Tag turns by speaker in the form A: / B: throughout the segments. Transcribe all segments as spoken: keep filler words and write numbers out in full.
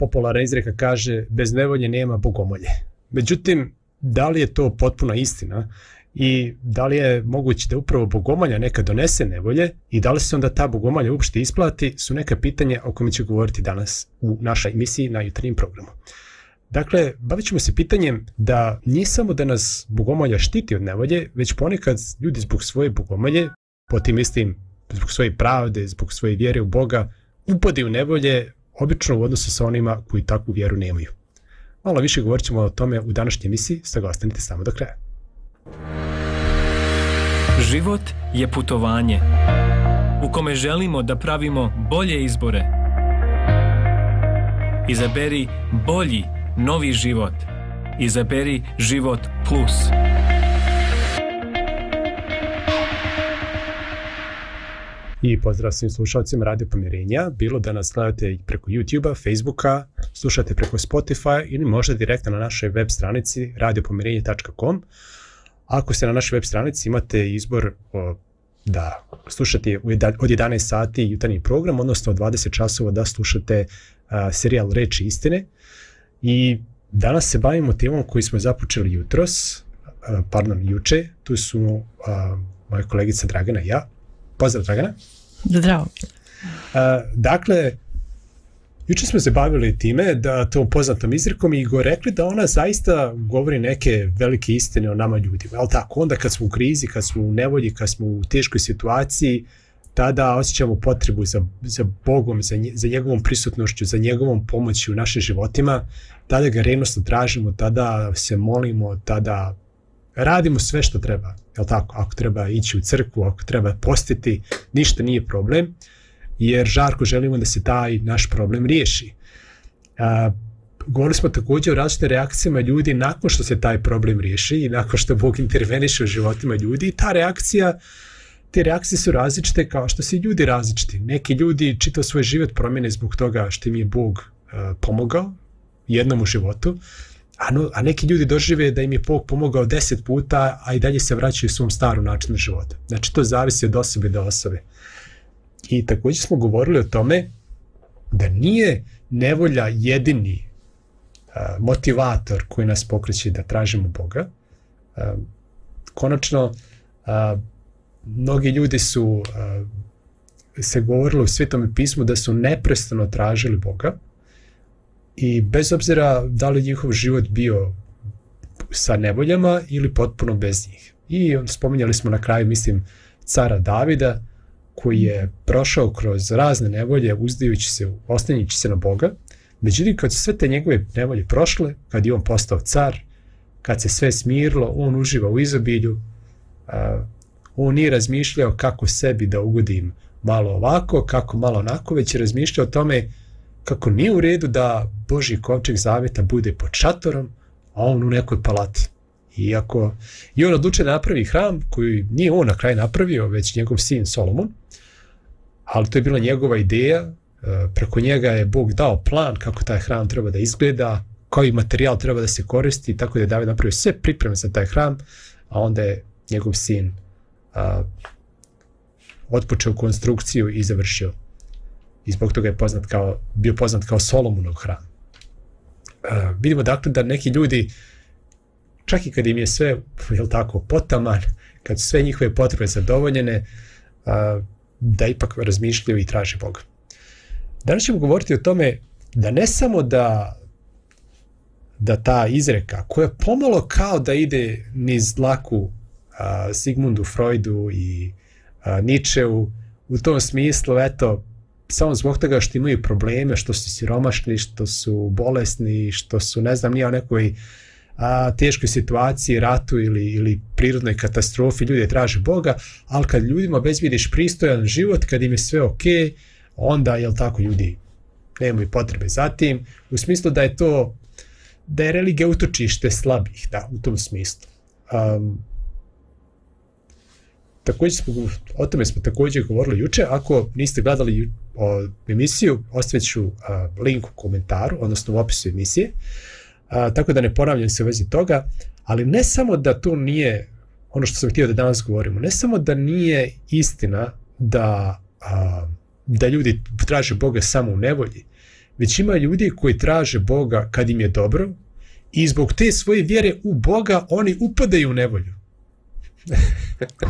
A: popularna izreka kaže bez nevolje nema bogomolje. Međutim, da li je to potpuna istina i da li je moguće da upravo bogomolja neka donese nevolje i da li se onda ta bogomolja uopšte isplati su neka pitanja o kojima ću govoriti danas u našoj emisiji na jutarnjem programu. Dakle, bavit ćemo se pitanjem da nije samo da nas bogomolja štiti od nevolje, već ponekad ljudi zbog svoje bogomolje, potim istim zbog svoje pravde, zbog svoje vjere u Boga, upade u nevolje, obično u odnosu sa onima koji takvu vjeru nemaju. Malo više govorit ćemo o tome u današnjoj emisiji, stoga ostanite samo do kraja.
B: Život je putovanje u kome želimo da pravimo bolje izbore. Izaberi bolji, novi život. Izaberi Život Plus.
A: I pozdrav svim slušalcima Radio Pomirenja, bilo da nas gledate preko YouTube-a, Facebooka, slušate preko Spotify ili možda direktno na našoj web stranici radio pomirenje tačka com. Ako ste na našoj web stranici imate izbor o, da slušate od jedanaest sati jutarnji program, odnosno od dvadeset časova da slušate a, serijal Reči istine. I danas se bavimo temom koju smo započeli jutros, a, pardon, juče. Tu su a, moja kolegica Dragana i ja. Pozdrav, Dragana.
C: Zdravo.
A: A, dakle, juče smo se bavili time da tom poznatom izrekom i go rekli da ona zaista govori neke velike istine o nama ljudima. Ali tako, onda kad smo u krizi, kad smo u nevolji, kad smo u teškoj situaciji, tada osjećamo potrebu za, za Bogom, za, nje, za njegovom prisutnošću, za njegovom pomoći u našim životima, tada ga revnosno tražimo, tada se molimo, tada radimo sve što treba. Jel tako? Ako treba ići u crkvu, ako treba postiti, ništa nije problem, jer žarko želimo da se taj naš problem riješi. A, govorili smo također o različitim reakcijama ljudi nakon što se taj problem riješi i nakon što Bog interveniše u životima ljudi. I ta reakcija, te reakcije su različite kao što su ljudi različiti. Neki ljudi čitav svoj život promijene zbog toga što im je Bog a, pomogao jednom u životu, a, no, a neki ljudi dožive da im je Bog pomogao deset puta, a i dalje se vraćaju u svom starom načinu života. Znači to zavisi od osobe do osobe. I također smo govorili o tome da nije nevolja jedini a, motivator koji nas pokreće da tražimo Boga. A, konačno, a, mnogi ljudi su a, se govorili u Svetom pismu da su neprestano tražili Boga i bez obzira da li njihov život bio sa nevoljama ili potpuno bez njih. I spominjali smo na kraju, mislim, cara Davida, koji je prošao kroz razne nevolje, uzdajući se, oslanjajući se na Boga. Međutim, kad su sve te njegove nevolje prošle, kad je on postao car, kad se sve smirilo, on uživa u izobilju, a, on nije razmišljao kako sebi da ugodim malo ovako, kako malo onako, već je razmišljao o tome kako nije u redu da Božji kovčeg zaveta bude pod šatorom, a on u nekoj palati. Iako je on odlučio da napravi hram koji nije on na kraju napravio, već njegov sin Solomon, ali to je bila njegova ideja, preko njega je Bog dao plan kako taj hram treba da izgleda, koji materijal treba da se koristi, tako da je David napravio sve pripreme za taj hram, a onda je njegov sin a, otpočeo konstrukciju i završio. I zbog toga je poznat kao, bio poznat kao Solomonov hram. A, vidimo dakle da neki ljudi, čak i kad im je sve, jel tako, potaman, kad su sve njihove potrebe zadovoljene, a, da ipak razmišljaju i traže Boga. Danas ćemo govoriti o tome da ne samo da, da ta izreka, koja pomalo kao da ide niz dlaku a, Sigmundu Freudu i a, Nietzscheu, u tom smislu, eto, samo zbog toga što imaju probleme, što su siromašni, što su bolesni, što su, ne znam, nije o nekoj a, teškoj situaciji, ratu ili, ili prirodnoj katastrofi, ljudi traže Boga, ali kad ljudima obezbijediš pristojan život, kad im je sve ok, onda, jel tako, ljudi nemaju potrebe za tim, u smislu da je to, da je religija utočište slabih, da, u tom smislu. Um, također smo, o tome smo također govorili juče. Ako niste gledali o, emisiju, ostavit ću uh, link u komentaru, odnosno u opisu emisije, uh, tako da ne ponavljam se u vezi toga, ali ne samo da to nije, ono što sam htio da danas govorimo, ne samo da nije istina da, uh, da ljudi traže Boga samo u nevolji, već ima ljudi koji traže Boga kad im je dobro i zbog te svoje vjere u Boga oni upadaju u nevolju.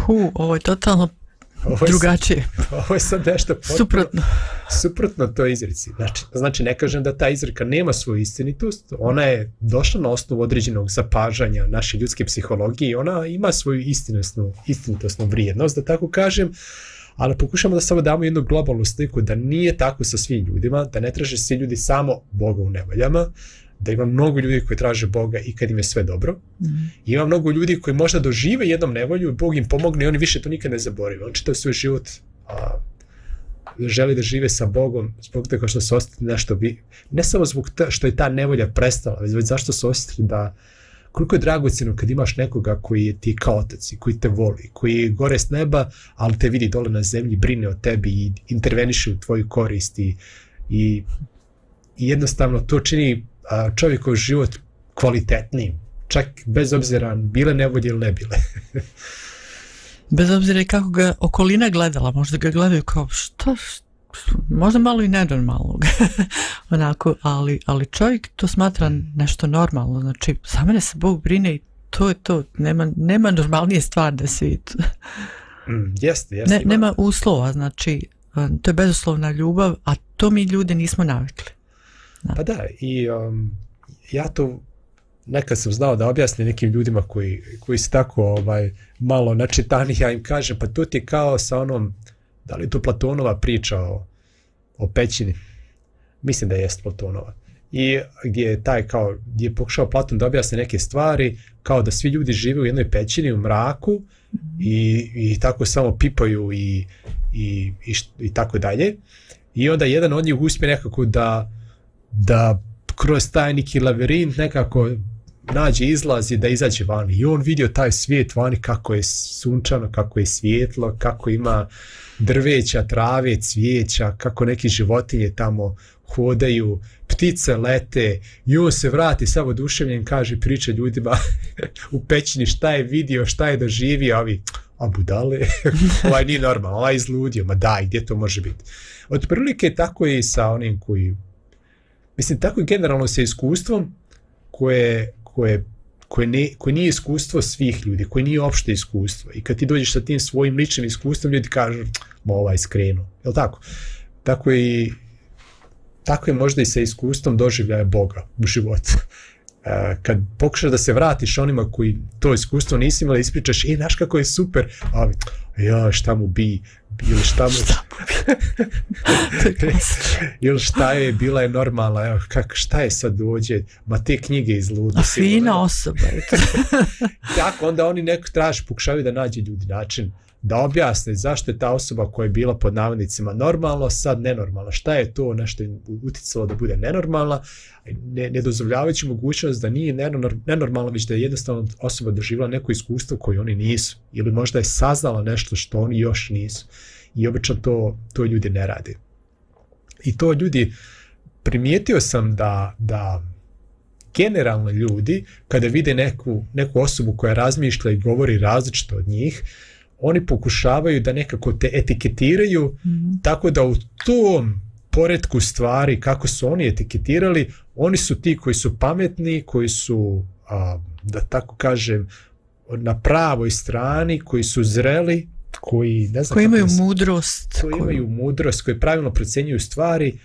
C: Hu, ovo je totalno ovo je drugačije.
A: Sad, ovo je sad nešto potpuno
C: suprotno.
A: Suprotno toj izreci. Znači, znači, ne kažem da ta izreka nema svoju istinitost, ona je došla na osnovu određenog zapažanja naše ljudske psihologije i ona ima svoju istinitosnu, istinitosnu vrijednost, da tako kažem, ali pokušamo da samo damo jednu globalnu sliku da nije tako sa svim ljudima, da ne traže svi ljudi samo Boga u nevoljama, da ima mnogo ljudi koji traže Boga i kad im je sve dobro. Mm-hmm. Ima mnogo ljudi koji možda dožive jednom nevolju, Bog im pomogne i oni više to nikad ne zaborave. On čitav svoj život a, želi da žive sa Bogom zbog toga što se osjeti nešto bi, ne samo zbog ta, što je ta nevolja prestala, već zašto se osjeti da koliko je dragocjeno kad imaš nekoga koji je ti kao otac i koji te voli, koji je gore s neba, ali te vidi dole na zemlji, brine o tebi i interveniše u tvoju korist i, i, i jednostavno to čini čovjekov život kvalitetnijim, čak bez obzira bile nevolje ili ne bile.
C: Bez obzira kako ga okolina gledala, možda ga gledaju kao što, možda malo i nenormalno, onako, ali, ali čovjek to smatra nešto normalno, znači za mene se Bog brine i to je to, nema, nema normalnije stvar na svijetu.
A: Mm, jeste, jeste.
C: Ne, nema uslova, znači to je bezuslovna ljubav, a to mi ljudi nismo navikli.
A: Da. Pa da, i um, ja to nekad sam znao da objasnim nekim ljudima koji, koji su tako ovaj, malo načitani, ja im kažem, pa to ti je kao sa onom, da li je to Platonova priča o, o pećini, mislim da je Platonova, i gdje je taj kao, gdje je pokušao Platon da objasni neke stvari, kao da svi ljudi žive u jednoj pećini, u mraku, i, i tako samo pipaju i, i, i, i tako dalje, i onda jedan od njih uspije nekako da da kroz taj neki lavirint nekako nađe izlaz i da izađe vani. I on vidio taj svijet vani kako je sunčano, kako je svijetlo, kako ima drveća, trave, cvijeća, kako neki životinje tamo hodaju, ptice lete i on se vrati samo oduševljen, kaže, priča ljudima u pećini šta je vidio, šta je doživio, a ovi, a budale, ovaj nije normalno, ovaj izludio, ma daj, gdje to može biti? Od prilike tako je i sa onim koji mislim, tako je generalno sa iskustvom koje, koje, koje, ne, koje nije iskustvo svih ljudi, koje nije opšte iskustvo. I kad ti dođeš sa tim svojim ličnim iskustvom, ljudi kažu, ma ovaj skrenu. Jel' tako? Tako je, tako je možda i sa iskustvom doživljaja Boga u životu. Kad pokušaš da se vratiš onima koji to iskustvo nisi imali, ispričaš, e, znaš kako je super, a ja, šta mu bi, ili šta mu ili šta je, bila je normalna, evo, kak, šta je sad dođe, ma te knjige iz luda.
C: A fina osoba.
A: Tako, onda oni neko traži, pokušavaju da nađe ljudi način da objasne zašto je ta osoba koja je bila pod navodnicima normalno, sad nenormalna. Šta je to nešto uticalo da bude nenormalna, ne, ne dozvoljavajući mogućnost da nije nenormalno, već da je jednostavno osoba doživjela neko iskustvo koje oni nisu. Ili možda je saznala nešto što oni još nisu. I obično to, to ljudi ne rade. I to ljudi, primijetio sam da, da generalno ljudi, kada vide neku, neku osobu koja razmišlja i govori različito od njih, oni pokušavaju da nekako te etiketiraju, mm-hmm. tako da u tom poretku stvari, kako su oni etiketirali, oni su ti koji su pametni, koji su, a, da tako kažem, na pravoj strani, koji su zreli, koji, ne znam,
C: koji imaju
A: se,
C: mudrost.
A: Koji koju... imaju mudrost, koji pravilno procenjuju stvari,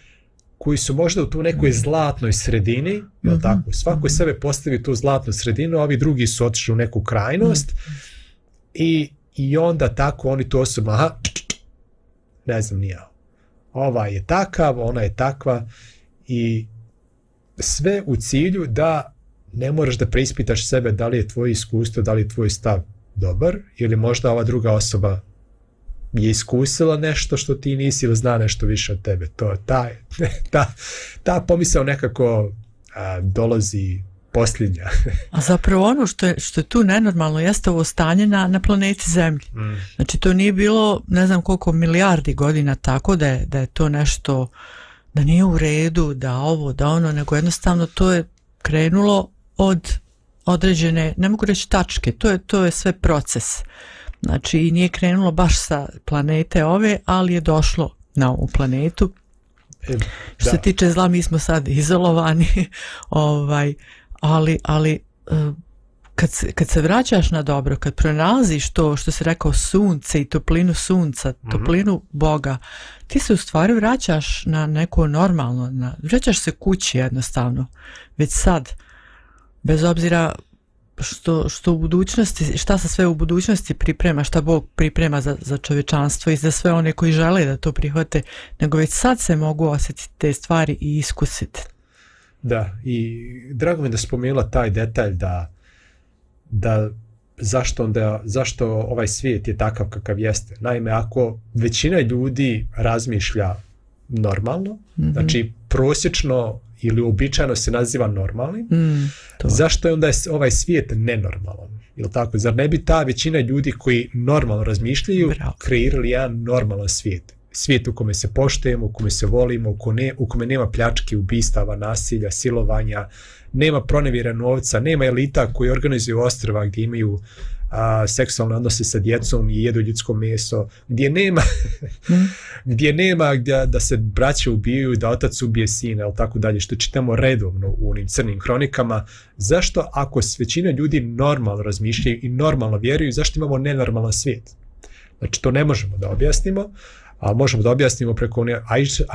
A: koji su možda u tu nekoj zlatnoj sredini, mm-hmm. jel tako? Svako mm-hmm. sebe postavi tu zlatnu sredinu, a ovi drugi su otišli u neku krajnost, mm-hmm. i I onda tako oni to osoba, aha, ne znam nija, ova je takav, ona je takva, i sve u cilju da ne moraš da preispitaš sebe da li je tvoje iskustvo, da li je tvoj stav dobar, ili možda ova druga osoba je iskusila nešto što ti nisi ili zna nešto više od tebe. To, ta, ta, ta pomisao nekako a, dolazi posljednja.
C: A zapravo ono što je, što je tu nenormalno jeste ovo stanje na, na planeti Zemlji. Mm. Znači to nije bilo ne znam koliko milijardi godina tako da je, da je to nešto, da nije u redu, da ovo, da ono, nego jednostavno to je krenulo od određene, ne mogu reći tačke, to je, to je sve proces. Znači i nije krenulo baš sa planete ove, ali je došlo na ovu planetu Što se tiče zla, mi smo sad izolovani, ovaj, ali, ali kad se, kad se vraćaš na dobro, kad pronalaziš to što se rekao sunce i toplinu sunca, toplinu mm-hmm. Boga, ti se u stvari vraćaš na neko normalno, na, vraćaš se kući jednostavno, već sad, bez obzira što, što u budućnosti, šta se sve u budućnosti priprema, šta Bog priprema za, za čovječanstvo i za sve one koji žele da to prihvate, nego već sad se mogu osjetiti te stvari i iskusiti.
A: Da, i drago mi da spomenula taj detalj da, da zašto, onda, zašto ovaj svijet je takav kakav jeste. Naime, ako većina ljudi razmišlja normalno, mm-hmm. znači prosječno ili uobičajeno se naziva normalnim,
C: mm,
A: zašto je onda ovaj svijet nenormalan? Jel tako? Zar ne bi ta većina ljudi koji normalno razmišljaju Bravo. kreirali jedan normalan svijet? Svijet u kome se poštujemo, u kome se volimo, u kome, u kome nema pljački, ubistava, nasilja, silovanja, nema pronevjera novca, nema elita koji organizuju ostrva gdje imaju a, seksualne odnose sa djecom i jedu ljudsko meso, gdje nema mm. gdje nema gdje, da se braće ubijaju, da otac ubije sina, ili tako dalje, što čitamo redovno u onim crnim hronikama. Zašto, ako većina ljudi normalno razmišljaju i normalno vjeruju, zašto imamo nenormalan svijet? Znači, to ne možemo da objasnimo, ali možemo da objasnimo preko one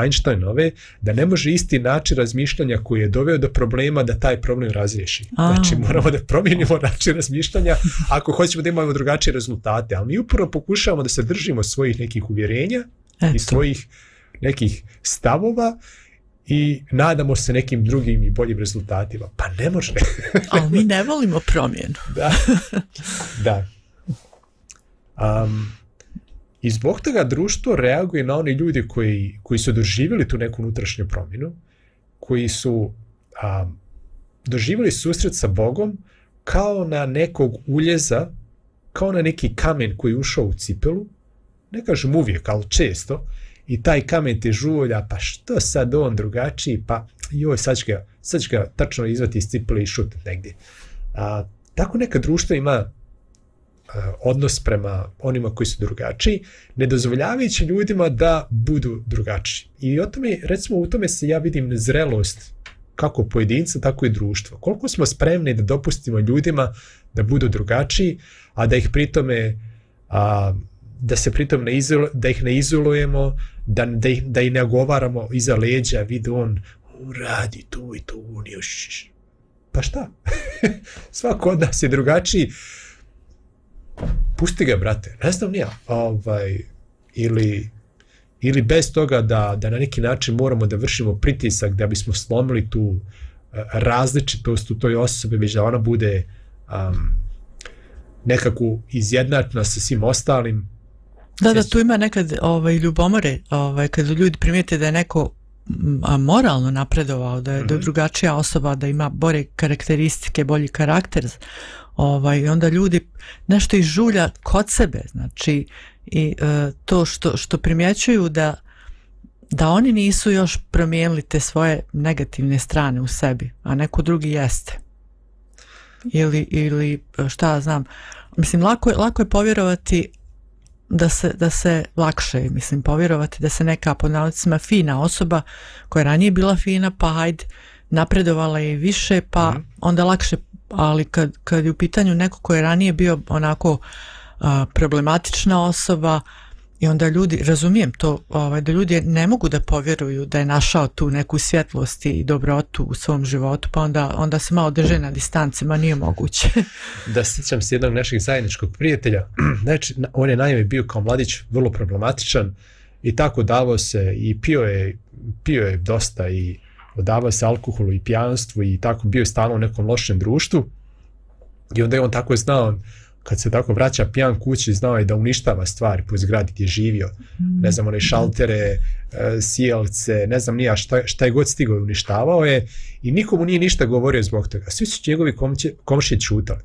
A: Einsteinove da ne može isti način razmišljanja koji je doveo do problema da taj problem razriješi. A. Znači moramo da promijenimo način razmišljanja ako hoćemo da imamo drugačije rezultate, ali mi upravo pokušavamo da se držimo svojih nekih uvjerenja Eto. i svojih nekih stavova i nadamo se nekim drugim i boljim rezultatima. Pa ne može.
C: Ali mi ne volimo promjenu.
A: Da. Da. Um, I zbog toga društvo reaguje na oni ljudi koji, koji su doživjeli tu neku unutrašnju promjenu, koji su a, doživjeli susret sa Bogom kao na nekog uljeza, kao na neki kamen koji je ušao u cipelu, ne kažem uvijek, ali često, i taj kamen te žulja, pa što sad on drugačiji, pa joj, sad će ga, sad će ga tačno izvati iz cipele i šutati negdje. A, tako neka društva ima odnos prema onima koji su drugačiji, ne dozvoljavajući ljudima da budu drugačiji. I o tome, recimo, u tome se ja vidim nezrelost kako pojedinca, tako i društva. Koliko smo spremni da dopustimo ljudima da budu drugačiji, a da ih pritome a, da se pritom ne izolo, da ih ne izolujemo, da, da, ih, da ih ne ogovaramo iza leđa, vidi on, on radi tu i tu, on još. Pa šta? Svako od nas je drugačiji. Pusti ga, brate, ne znam nija, ovaj, ili, ili bez toga da, da na neki način moramo da vršimo pritisak da bismo slomili tu uh, različitost u toj osobi, već da ona bude um, nekako izjednačena sa svim ostalim.
C: Da, da, tu ima nekad ovaj, ljubomore, ovaj, kad ljudi primijete da je neko a, moralno napredovao, da je, mm-hmm. da je drugačija osoba, da ima bolje karakteristike, bolji karakter, ovaj, onda ljudi nešto izžulja kod sebe, znači i e, to što, što primjećuju da, da oni nisu još promijenili te svoje negativne strane u sebi, a neko drugi jeste. Ili, ili šta ja znam, mislim, lako je, lako je povjerovati da se, da se lakše, mislim, povjerovati da se neka pod navodnicima fina osoba koja je ranije bila fina, pa hajde, napredovala je više, pa mm. onda lakše, ali kad, kad je u pitanju neko koji je ranije bio onako a, problematična osoba i onda ljudi, razumijem to, ovaj, da ljudi ne mogu da povjeruju da je našao tu neku svjetlost i dobrotu u svom životu, pa onda, onda se malo drže na distanci, ma nije moguće.
A: Da, sjećam se jednog našeg zajedničkog prijatelja, znači, on je naime bio kao mladić vrlo problematičan i tako davao se i pio je, pio je dosta i odavao se alkoholu i pijanstvu i tako bio je stalno u nekom lošem društvu i onda je on tako znao, kad se tako vraća pijan kući, znao je da uništava stvari po zgradi gdje je živio, mm. ne znam, one šaltere, sjelce, ne znam nija šta, šta je god stigao i uništavao je i nikomu nije ništa govorio zbog toga, svi su njegovi komšije čutali.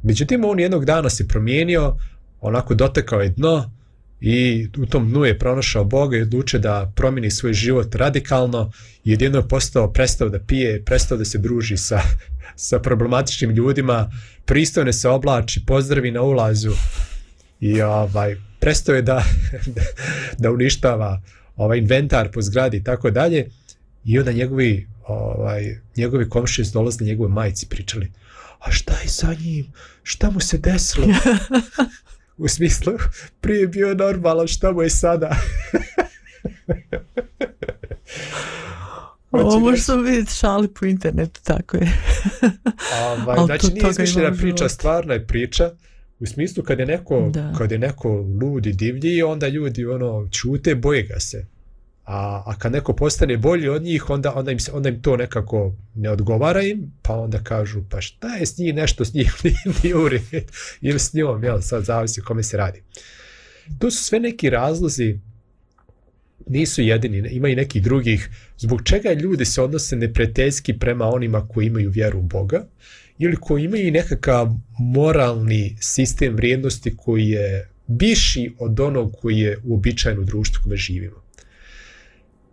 A: Međutim, on jednog dana se promijenio, onako dotekao je dno i u tom dnu je pronašao Boga i odlučio da promijeni svoj život radikalno i jedino je postao, prestao da pije, prestao da se druži sa, sa problematičnim ljudima, pristojno se oblači, pozdravi na ulazu i ovaj, prestao je da, da, da uništava ovaj inventar po zgradi i tako dalje, i onda njegovi, ovaj, njegovi komšije su dolazili njegove majci pričali, a šta je sa njim, šta mu se desilo? U smislu, prije bio normalan, šta mu je sada?
C: Ovo možeš sam vidjeti šali po internetu, tako je.
A: Ovaj, znači nije izmišljena priča, stvarna je priča. U smislu kad je neko, kad je neko ludi, divlji, onda ljudi ono ćute, boje ga se. A, a kad neko postane bolji od njih, onda, onda, im se, onda im to nekako ne odgovara im, pa onda kažu, pa šta je s njih, nešto s njih nije u redu, ili s njom, jel, sad zavisi o kome se radi. To su sve neki razlozi, nisu jedini, ima i nekih drugih, zbog čega ljudi se odnose neprijateljski prema onima koji imaju vjeru u Boga, ili koji imaju nekakav moralni sistem vrijednosti koji je viši od onog koji je uobičajen u društvu kome živimo.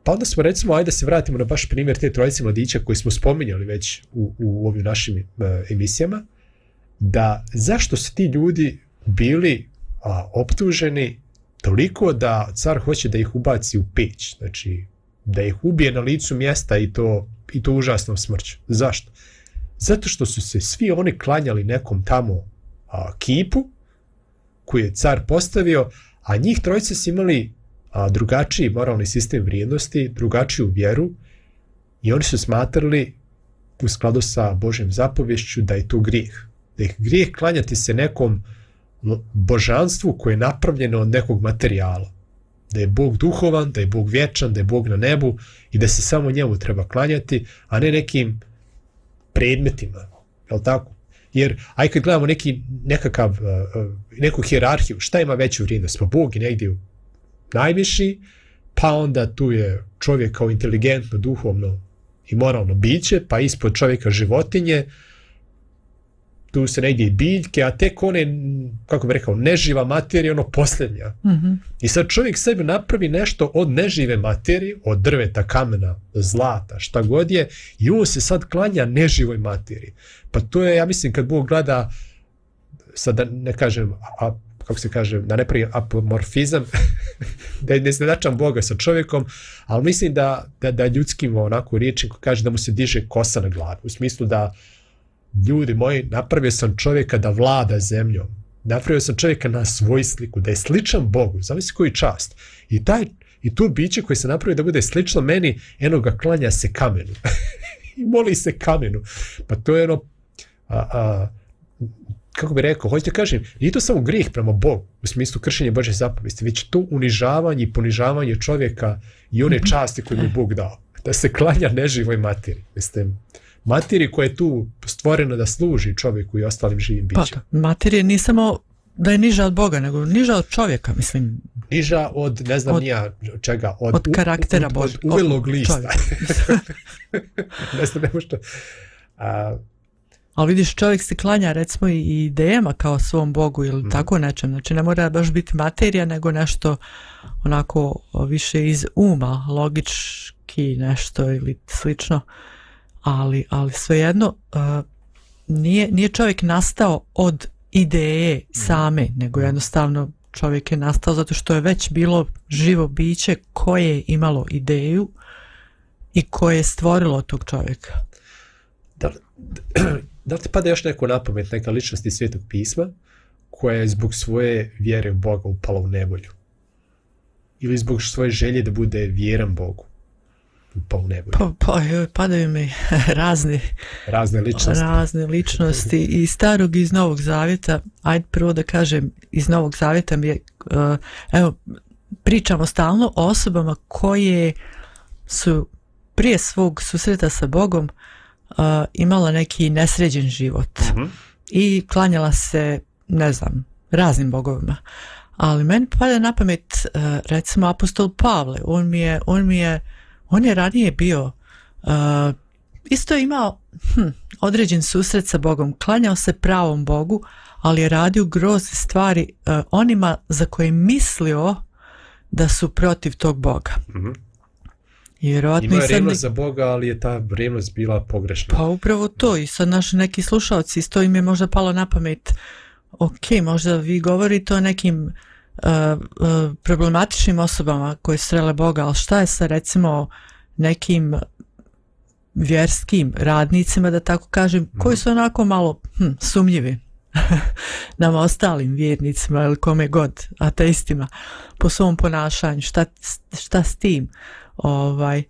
A: Pa onda smo, recimo, ajde da se vratimo na baš primjer te trojice mladića koji smo spominjali već u, u ovim našim uh, emisijama, da zašto su ti ljudi bili a, optuženi toliko da car hoće da ih ubaci u peć, znači da ih ubije na licu mjesta i to, i to užasnom smrću. Zašto? Zato što su se svi oni klanjali nekom tamo a, kipu koji je car postavio, a njih trojice su imali a, drugačiji moralni sistem vrijednosti, drugačiju vjeru, i oni su smatrali u skladu sa Božjom zapovješću da je to grijeh. Da je grijeh klanjati se nekom božanstvu koje je napravljeno od nekog materijala. Da je Bog duhovan, da je Bog vječan, da je Bog na nebu i da se samo njemu treba klanjati, a ne nekim predmetima. Je li tako? Jer, aj kad gledamo neki, nekakav, neku hijerarhiju, šta ima veću vrijednost? Pa Bog je negdje najviši, pa onda tu je čovjek kao inteligentno, duhovno i moralno biće, pa ispod čovjeka životinje, tu se negdje i biljke, a tek one, kako bih rekao, neživa materija, ono posljednja.
C: Mm-hmm.
A: I sad čovjek sebi napravi nešto od nežive materije, od drveta, kamena, zlata, šta god je, i on se sad klanja neživoj materiji. Pa to je, ja mislim, kad Bog gleda, sad da ne kažem, a, kako se kaže, da ne pravi apomorfizam, da ne značam Boga sa čovjekom, ali mislim da, da, da ljudskim onako riječim kaže da mu se diže kosa na glavu, u smislu da ljudi moji, napravio sam čovjeka da vlada zemljom, napravio sam čovjeka na svoj sliku, da je sličan Bogu, zamisli koji čast. I, taj, i tu biće koji se napravio da bude slično meni, eno ga klanja se kamenu. I moli se kamenu. Pa to je ono, a, a, kako bi rekao, hoćete kažem, nije to samo grijeh prema Bogu, u smislu kršenja Božje zapovesti, već to unižavanje i ponižavanje čovjeka i one časti koje mu Bog dao. Da se klanja neživoj materiji. Mislim, materiji koja je tu stvorena da služi čovjeku i ostalim živim bićima.
C: Pa, materija nije samo da je niža od Boga, nego niža od čovjeka, mislim.
A: Niža od, ne znam, od, nija čega, od,
C: od karaktera Božja.
A: Od uvelog lista. ne znam, ne možda. A,
C: ali vidiš, čovjek se klanja recimo i idejama kao svom Bogu ili mm. tako nečem. Znači ne mora baš biti materija, nego nešto onako više iz uma, logički nešto ili slično. Ali, ali svejedno uh, nije, nije čovjek nastao od ideje same, nego jednostavno čovjek je nastao zato što je već bilo živo biće koje je imalo ideju i koje je stvorilo tog čovjeka.
A: Da li, da li ti pada još neko na pamet, neka ličnost iz Svetog pisma koja je zbog svoje vjere u Boga upala u nevolju? Ili zbog svoje želje da bude vjeran Bogu? Pa,
C: pa, pa padaju mi razne,
A: razne ličnosti,
C: razne ličnosti i starog i iz Novog Zavjeta. Ajde prvo da kažem, iz Novog Zavjeta mi je, uh, evo, pričamo stalno o osobama koje su prije svog susreta sa Bogom uh, imala neki nesređen život uh-huh. i klanjala se, ne znam, raznim bogovima. Ali meni pada na pamet uh, recimo apostol Pavle. On mi je, on mi je On je ranije bio, uh, isto je imao hm, određen susret sa Bogom, klanjao se pravom Bogu, ali je radio grozne stvari uh, onima za koje je mislio da su protiv tog Boga.
A: Mm-hmm.
C: I vjerovatno
A: imao je
C: sad
A: revnost za Boga, ali je ta revnost bila pogrešna.
C: Pa upravo to, i sad naši neki slušalci, isto im je možda palo na pamet, ok, možda vi govorite o nekim uh, problematičnim osobama koje srele Boga, ali šta je sa recimo nekim vjerskim radnicima, da tako kažem, mm. koji su onako malo hm, sumnjivi nam ostalim vjernicima ili kome god, ateistima, po svom ponašanju, šta, šta s tim? Ovaj,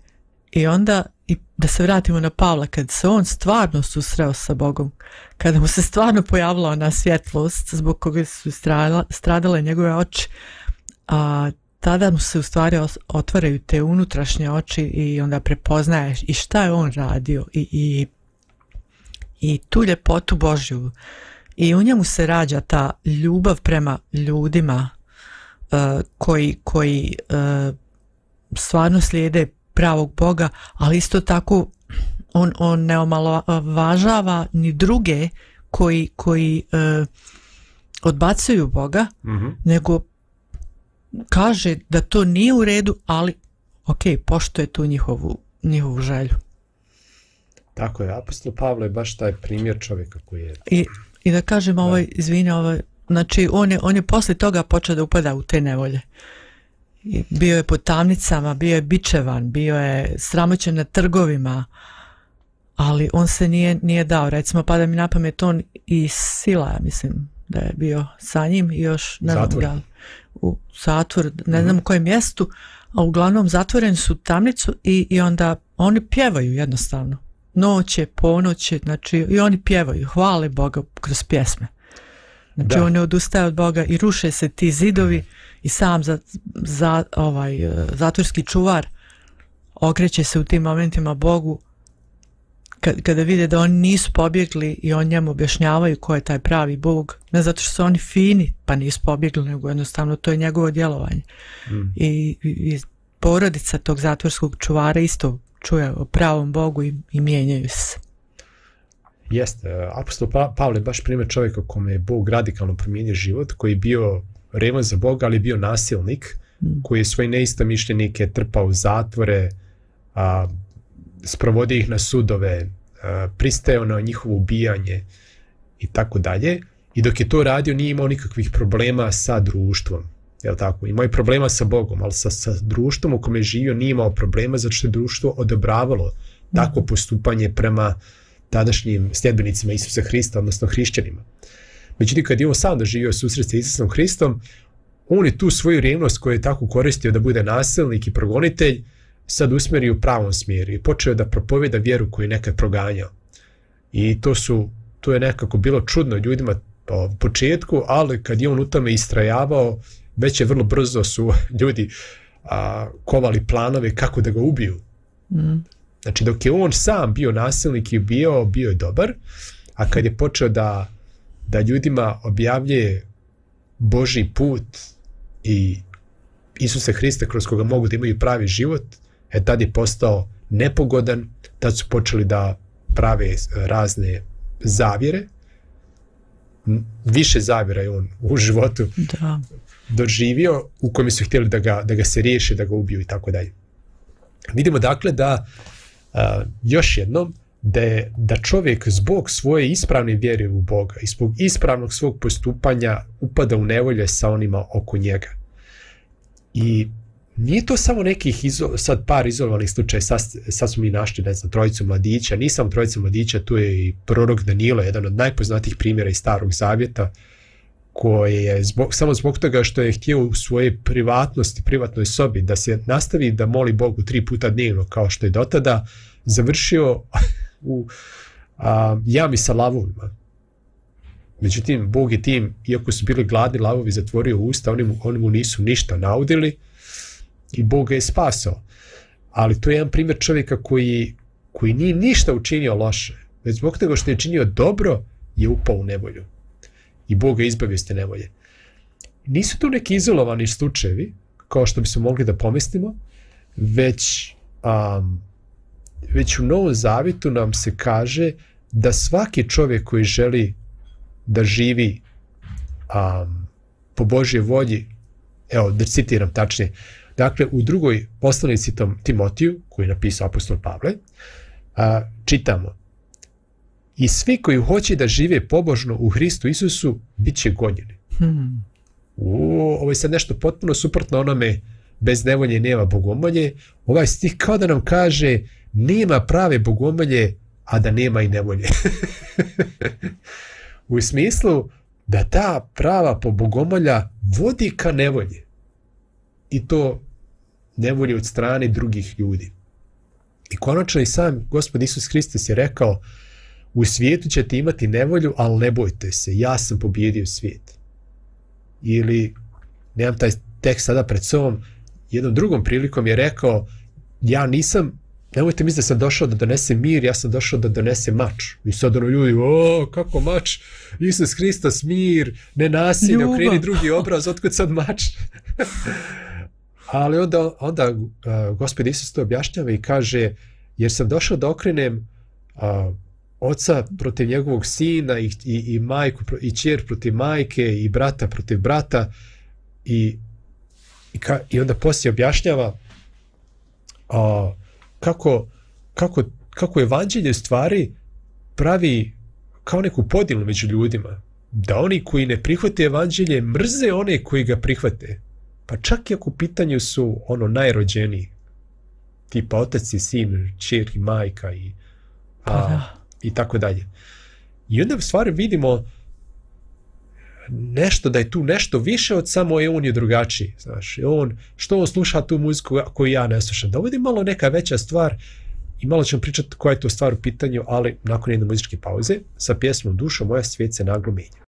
C: i onda i da se vratimo na Pavla, kad se on stvarno susreo sa Bogom, kada mu se stvarno pojavila ona svjetlost zbog koga su stradale, stradale njegove oči, a tada mu se u stvari otvaraju te unutrašnje oči i onda prepoznaješ i šta je on radio i, i, i tu ljepotu Božju i u njemu se rađa ta ljubav prema ljudima uh, koji, koji uh, stvarno slijede pravog Boga, ali isto tako on, on ne omalovažava ni druge koji, koji uh, odbacuju Boga, mm-hmm. nego kaže da to nije u redu, ali ok, poštuje tu njihovu, njihovu želju.
A: Tako je, apostol Pavle je baš taj primjer čovjeka koji je...
C: I, i da kažem, ovaj, izvini, ovaj, znači on je, on je poslije toga počeo da upada u te nevolje. I bio je po tamnicama, bio je bičevan, bio je sramoćen na trgovima, ali on se nije, nije dao. Recimo, pada mi na pamet on i Sila, mislim da je bio sa njim i još ne znam ga u zatvor, ne znam u kojem mjestu, a uglavnom zatvoreni su tamnicu i, i onda oni pjevaju jednostavno. Noće, ponoće, znači i oni pjevaju, hvale Boga kroz pjesme. Znači da. On ne odustaje od Boga i ruše se ti zidovi i sam za, za, ovaj, zatvorski čuvar okreće se u tim momentima Bogu kad, kada vide da oni nisu pobjegli i on njemu objašnjavaju ko je taj pravi Bog, ne zato što su oni fini pa nisu pobjegli, nego jednostavno to je njegovo djelovanje. Mm. I, i porodica tog zatvorskog čuvara isto čuje o pravom Bogu i, i mijenjaju se.
A: Jeste, apostol pa, Pavle je baš primjer čovjeka kome je Bog radikalno promijenio život, koji je bio revan za Boga, ali bio nasilnik, mm. koji je svoje neistomišljenike trpao u zatvore, a, sprovodio ih na sudove, a, pristajao na njihovo ubijanje i tako dalje. I dok je to radio nije imao nikakvih problema sa društvom. Jel tako? Imao je problema sa Bogom, ali sa, sa društvom u kome je živio nije imao problema zato što je društvo odobravalo mm. takvo postupanje prema tadašnjim sljedbenicima Isusa Hrista, odnosno hrišćanima. Međutim, kad je on sam doživio susret sa Isusom Hristom, on je tu svoju revnost koju je tako koristio da bude nasilnik i progonitelj, sad usmjerio u pravom smjeru i počeo da propovjeda vjeru koju je nekad proganjao. I to su, to je nekako bilo čudno ljudima u početku, ali kad je on u tome istrajavao, već je vrlo brzo su ljudi a, kovali planove kako da ga ubiju. Mm. Znači, dok je on sam bio nasilnik i bio, bio je dobar, a kad je počeo da, da ljudima objavljuje Božji put i Isusa Hrista kroz koga mogu da imaju pravi život, e tad je postao nepogodan, tad su počeli da prave razne zavjere. Više zavjera je on u životu da. doživio, u kojem su htjeli da ga, da ga se riješe, da ga ubiju i tako dalje. Vidimo dakle da Uh, još jednom, da, je, da čovjek zbog svoje ispravne vjere u Boga i zbog ispravnog svog postupanja upada u nevolje sa onima oko njega. I nije to samo nekih izo, sad par izolovanih slučaja, sad, sad smo mi našli, ne znam, trojicu mladića, nisam trojica mladića, tu je i prorok Danilo, jedan od najpoznatijih primjera iz Starog Zavjeta, koji je zbog, samo zbog toga što je htio u svojej privatnosti, privatnoj sobi, da se nastavi da moli Bogu tri puta dnevno, kao što je dotada, završio u a, jami sa lavovima. Međutim, Bog je tim, iako su bili gladni lavovi, zatvorio usta, oni mu, oni mu nisu ništa naudili i Bog ga je spasao. Ali to je jedan primjer čovjeka koji, koji nije ništa učinio loše, već zbog toga što je činio dobro, je upao u nevolju. I Bog ga izbavio s te nevolje. Nisu tu neki izolovani slučajevi, kao što bismo mogli da pomislimo, već, um, već u Novom Zavjetu nam se kaže da svaki čovjek koji želi da živi um, po Božje volji, evo da citiram tačnije, dakle u drugoj poslanici Timotiju, koju je napisao apostol Pavle, uh, čitamo: i svi koji hoće da žive pobožno u Hristu Isusu, bit će gonjeni. Hmm. u, ovo je sad nešto potpuno suprotno onome bez nevolje nema bogomolje. Ovaj stih kao da nam kaže nema prave bogomolje, a da nema i nevolje. U smislu da ta prava po bogomolja vodi ka nevolji. I to nevolje od strane drugih ljudi. I konačno i sam Gospod Isus Hristos je rekao, u svijetu ćete imati nevolju, ali ne bojte se, ja sam pobjedio svijet. Ili, nemam taj tekst sada pred sobom, jednom drugom prilikom je rekao, ja nisam, nemojte misliti da sam došao da donesem mir, ja sam došao da donesem mač. I sad ono ljudi, o, kako mač? Isus Hristos, mir, ne nasilje, okreni drugi obraz, otkud sad mač? Ali onda, onda uh, Gospod Isus to objašnjava i kaže, jer sam došao da okrenem uh, oca protiv njegovog sina i, i, i majku i ćer protiv majke i brata protiv brata i, i, ka, i onda poslije objašnjava uh, kako, kako, kako evanđelje stvari pravi kao neku podjelu među ljudima, da oni koji ne prihvate evanđelje mrze one koji ga prihvate, pa čak i ako u pitanju su ono najrođeniji, tipa otac i sin, ćer i majka i, a, i tako dalje. I onda u stvari vidimo nešto, da je tu nešto više od samo je on je drugačiji, znaš, on, što on sluša tu muziku koju ja ne slušam, da ovdje malo neka veća stvar i malo ćemo pričati koja je to stvar u pitanju, ali nakon jedne muzičke pauze sa pjesmom Dušo moja svijet se naglo menja.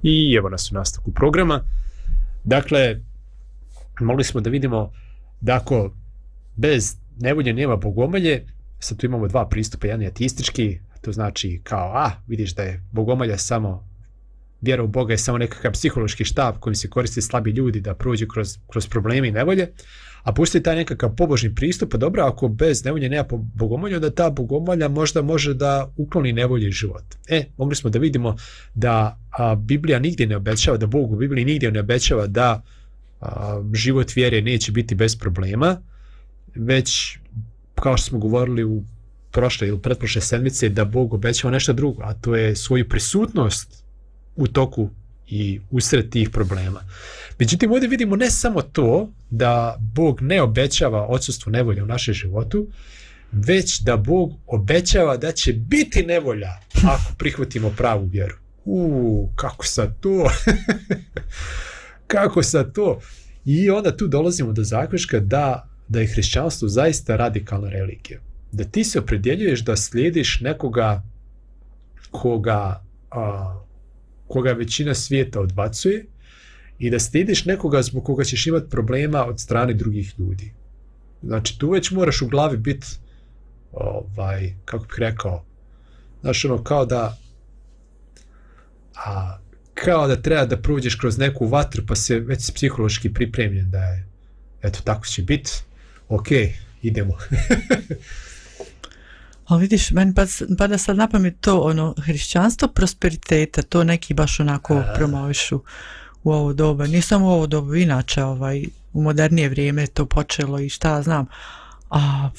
A: I evo nas u nastavku programa. Dakle, mogli smo da vidimo da ako bez nevolje nema bogomolje, sad tu imamo dva pristupa, jedan je ateistički, to znači kao, a, vidiš da je bogomolja samo, vjera u Boga je samo nekakav psihološki štab kojim se koriste slabi ljudi da prođu kroz, kroz probleme i nevolje, a postoji taj nekakav pobožni pristup, pa dobro, ako bez nevolje nema bogomolje, onda ta bogomolja možda može da ukloni nevolje iz života. E, mogli smo da vidimo da a, Biblija nigdje ne obećava, da Bog u Bibliji nigdje ne obećava da a, život vjere neće biti bez problema, već, kao što smo govorili u prošle ili pretprošle sedmice, da Bog obećava nešto drugo, a to je svoju prisutnost u toku i usred tih problema. Međutim, ovdje vidimo ne samo to da Bog ne obećava odsustvo nevolje u našem životu, već da Bog obećava da će biti nevolja ako prihvatimo pravu vjeru. Uuu, kako sad to? Kako sad to? I onda tu dolazimo do zaključka da, da je hrišćanstvo zaista radikalna religija. Da ti se opredjeljuješ da slijediš nekoga koga, a, koga većina svijeta odbacuje i da slijediš nekoga zbog koga ćeš imati problema od strane drugih ljudi. Znači, tu već moraš u glavi biti, ovaj, kako bih rekao, znači ono, kao da a, kao da treba da prođeš kroz neku vatru, pa se već psihološki pripremljen da je, eto, tako će biti, ok, idemo.
C: Ali vidiš, meni pada sad na pamet to, ono, hrišćanstvo prosperiteta, to neki baš onako a... promovišu u ovo doba. Nije samo u ovo doba, inače ovaj, u modernije vrijeme to počelo i šta znam. A,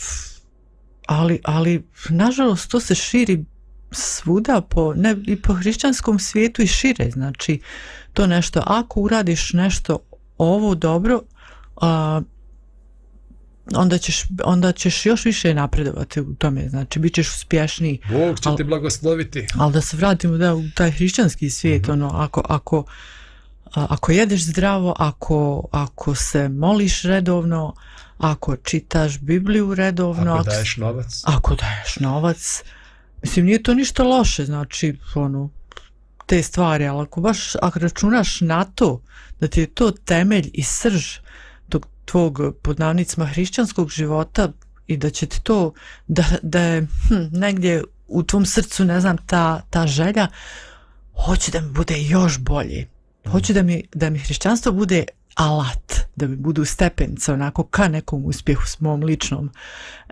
C: ali, ali, nažalost, to se širi svuda po, ne, i po hrišćanskom svijetu i šire. Znači, to nešto, ako uradiš nešto ovo dobro, a, onda ćeš, onda ćeš još više napredovati u tome, znači bit ćeš uspješniji.
A: Bog će al, te blagosloviti.
C: Ali da se vratimo da, u taj hrišćanski svijet, mm-hmm. ono, ako, ako, ako jedeš zdravo, ako, ako se moliš redovno, ako čitaš Bibliju redovno,
A: ako daješ novac,
C: ako daješ novac, mislim, nije to ništa loše, znači, ono, te stvari, ali ako baš, ako računaš na to, da ti je to temelj i srž tvog, pod navodnicima, hrišćanskog života i da će ti to, da, da je hm, negdje u tvom srcu, ne znam, ta, ta želja, hoću da mi bude još bolje. Hoću da mi, da mi hrišćanstvo bude alat, da mi budu stepenice onako ka nekom uspjehu s mom ličnom.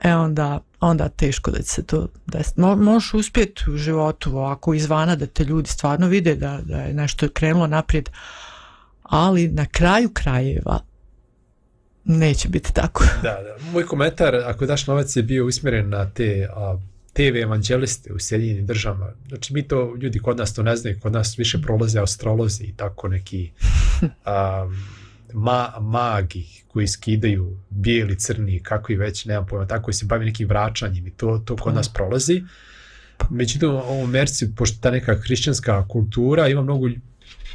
C: E onda, onda teško da će se to desiti. Mo, možeš uspjeti u životu ovako izvana da te ljudi stvarno vide da, da je nešto krenulo naprijed, ali na kraju krajeva neće biti tako.
A: Da, da. Moj komentar, ako daš novac, je bio usmjeren na te a, te ve evanđeliste u Sjedinjenim državama. Znači, mi to, ljudi kod nas to ne znaju, kod nas više prolaze astrolozi i tako neki a, ma, magi koji skidaju bijeli, crni, kako i već, nemam pojma, tako koji se bavi nekim vraćanjem i to, to kod nas prolazi. Međutim, u Americi, pošto ta neka hrišćanska kultura, ima mnogo,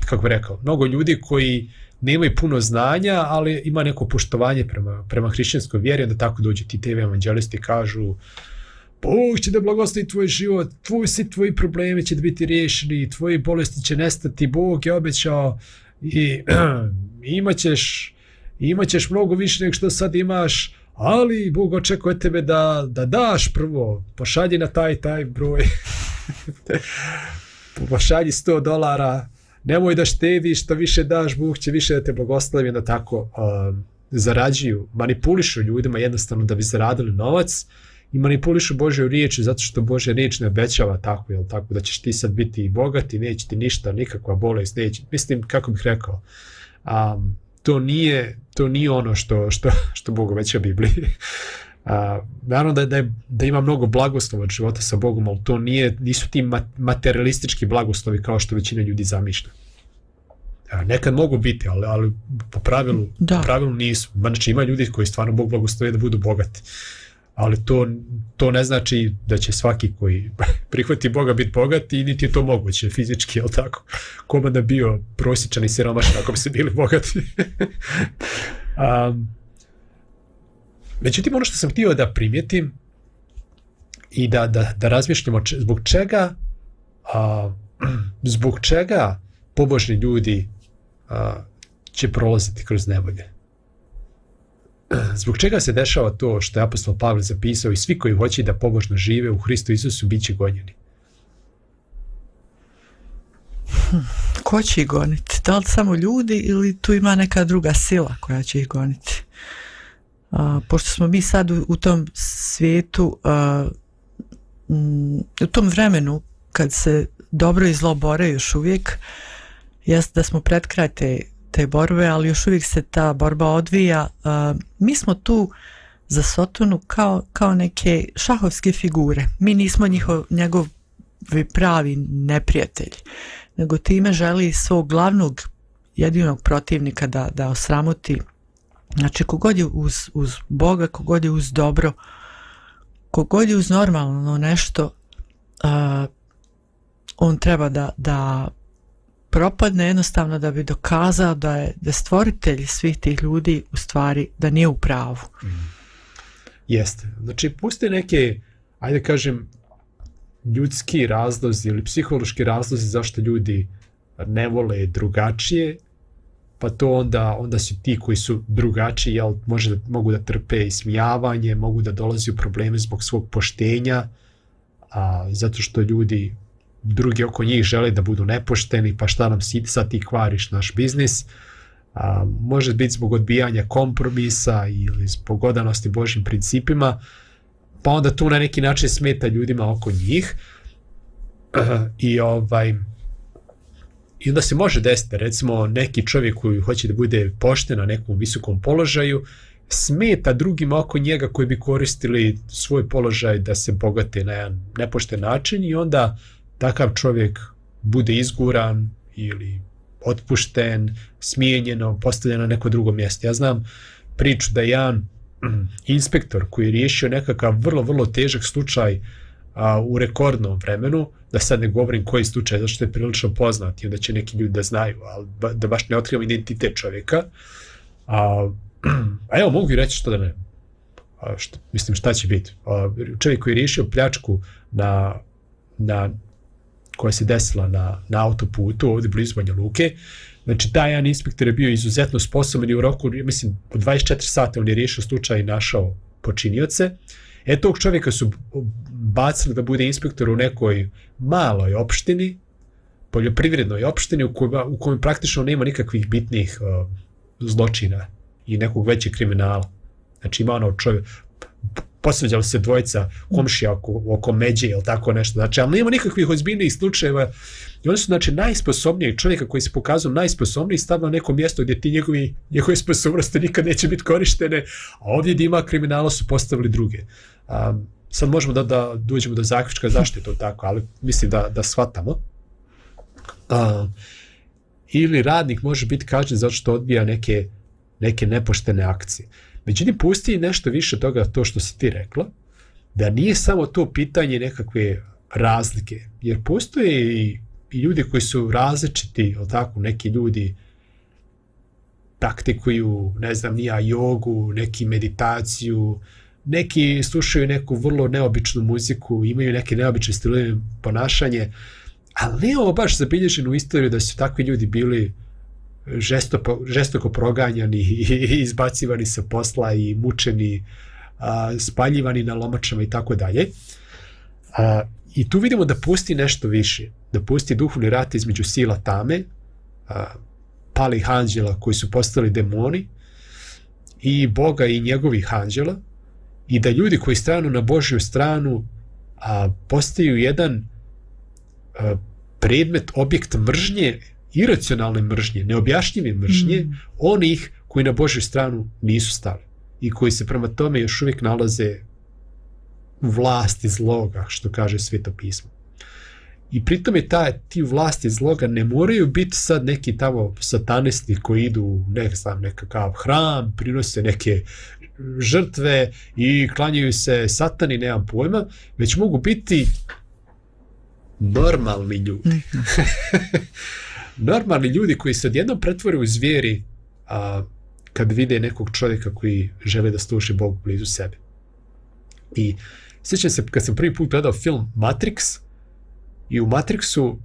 A: kako bih rekao, mnogo ljudi koji nemaju puno znanja, ali ima neko poštovanje prema, prema hrišćanskoj vjeri, onda tako dođu ti te ve evanđelisti i kažu Bog će da blagoslovi tvoj život, tvoj, svi tvoji problemi će da biti riješeni, tvoji bolesti će nestati, Bog je obećao i imaćeš, imaćeš mnogo više nego što sad imaš, ali Bog očekuje tebe da, da daš prvo, pošalji na taj taj broj, pošalji sto dolara, nemoj da štediš, što više daš, Bog će više da te blagoslovi, da tako uh, zarađuju, manipulišu ljudima jednostavno da bi zaradili novac i manipulišu Božju riječ zato što Božja riječ ne obećava tako, jel tako, da ćeš ti sad biti bogati, neće ti ništa, nikakva bolest, neće, mislim, kako bih rekao, um, to nije, to nije ono što, što, što Bog obeća u Bibliji. Uh, naravno da, da, je, da ima mnogo blagoslova od života sa Bogom, ali to nije, nisu ti materialistički blagoslovi kao što većina ljudi zamišlja. Uh, nekad mogu biti, ali, ali po, pravilu, po pravilu nisu. Znači ima ljudi koji stvarno Bog blagoslovi da budu bogati. Ali to, to ne znači da će svaki koji prihvati Boga biti bogat i niti je to moguće fizički, jel tako? Koma da bio prosječan i siromašan ako bi se bili bogati. um, Međutim, ono što sam htio da primijetim i da, da, da razmišljamo če, zbog čega a, zbog čega pobožni ljudi a, će prolaziti kroz nevolje. Zbog čega se dešava to što je apostol Pavle zapisao i svi koji hoće da pobožno žive u Hristu Isusu bit će gonjeni?
C: Hm, ko će ih goniti? Da li samo ljudi ili tu ima neka druga sila koja će ih goniti? A, pošto smo mi sad u, u tom svijetu, a, m, u tom vremenu kad se dobro i zlo bore još uvijek, jest da smo pred kraj te, te borbe, ali još uvijek se ta borba odvija. A, mi smo tu za Sotonu kao, kao neke šahovske figure. Mi nismo njihov, njegov pravi neprijatelji, nego time želi svog glavnog jedinog protivnika da, da osramoti. Znači, kogod je uz, uz Boga, kogod je uz dobro, kogod je uz normalno nešto, uh, on treba da, da propadne jednostavno da bi dokazao da je, da stvoritelj svih tih ljudi u stvari da nije u pravu.
A: Mm. Jeste. Znači, puste neke, ajde kažem, ljudski razlozi ili psihološki razlozi zašto ljudi ne vole drugačije, pa to onda, onda su ti koji su drugačiji, jel, može da, mogu da trpe ismijavanje, mogu da dolazi u probleme zbog svog poštenja, a, zato što ljudi drugi oko njih žele da budu nepošteni, pa šta nam si, sad ti kvariš naš biznis. A, može biti zbog odbijanja kompromisa ili zbog odanosti Božjim principima, pa onda tu na neki način smeta ljudima oko njih. I ovaj i onda se može desiti, recimo neki čovjek koji hoće da bude pošten na nekom visokom položaju, smeta drugima oko njega koji bi koristili svoj položaj da se bogate na jedan nepošten način i onda takav čovjek bude izguran ili otpušten, smijenjeno, postavljen na neko drugo mjesto. Ja znam priču da je jedan inspektor koji je riješio nekakav vrlo, vrlo težak slučaj a, u rekordnom vremenu, da sad ne govorim koji slučaj, zato što je prilično poznat i onda će neki ljudi da znaju, ali ba, da baš ne otkrivam identitet čovjeka. A, a evo, mogu i reći što da ne. A, što, mislim, šta će biti? A, čovjek koji je riješio pljačku na, na, koja se desila na, na autoputu, ovdje blizu Banja Luke. Znači, taj jedan inspektor je bio izuzetno sposoban i u roku, mislim, u dvadeset četiri sata on je riješio slučaj i našao počinioce. E, tog čovjeka su bacili da bude inspektor u nekoj maloj opštini, poljoprivrednoj opštini u kojoj, u kojoj praktično nema nikakvih bitnih uh, zločina i nekog većeg kriminala. Znači, ima ono čovjek, posveđali se dvojica komšija oko, oko međe ili tako nešto. Znači, ali nema nikakvih ozbiljnijih slučajeva. I oni su, znači, najsposobnijeg čovjeka koji se pokazao najsposobniji stavio na neko mjesto gdje ti njegovi, njegove sposobnosti nikad neće biti korištene, a ovdje gdje ima kriminala su postavili druge. Um, sad možemo da, da dođemo do zaključka zašto je to tako, ali mislim da, da shvatamo. Um, ili radnik može biti kažnjen zato što odbija neke, neke nepoštene akcije. Međutim, pusti nešto više toga, to što si ti rekla, da nije samo to pitanje nekakve razlike, jer postoje i, i ljudi koji su različiti, ili tako, neki ljudi praktikuju, ne znam, nija jogu, neki meditaciju, neki slušaju neku vrlo neobičnu muziku, imaju neke neobične stilove ponašanje, ali nije ovo baš zabilježeno u istoriju da su takvi ljudi bili žestoko, žestoko proganjani i izbacivani sa posla i mučeni, a, spaljivani na lomačama i tako dalje. A, i tu vidimo da pusti nešto više, da pusti duhovni rat između sila tame, a, palih anđela koji su postali demoni i Boga i njegovih anđela, i da ljudi koji stranu na Božju stranu a, postaju jedan a, predmet, objekt mržnje, iracionalne mržnje, neobjašnjive mržnje, mm. onih koji na Božju stranu nisu stali i koji se prema tome još uvijek nalaze u vlasti zloga, što kaže Sveto pismo. I pritom je ta, ti vlasti zloga ne moraju biti sad neki tamo satanisti koji idu u ne znam, nekakav hram, prinose neke žrtve i klanjaju se satani, nemam pojma, već mogu biti normalni ljudi. Normalni ljudi koji se odjednom pretvore u zvijeri a, kad vide nekog čovjeka koji žele da služi Bogu blizu sebe. I sjećam se kad sam prvi put gledao film Matrix, i u Matrixu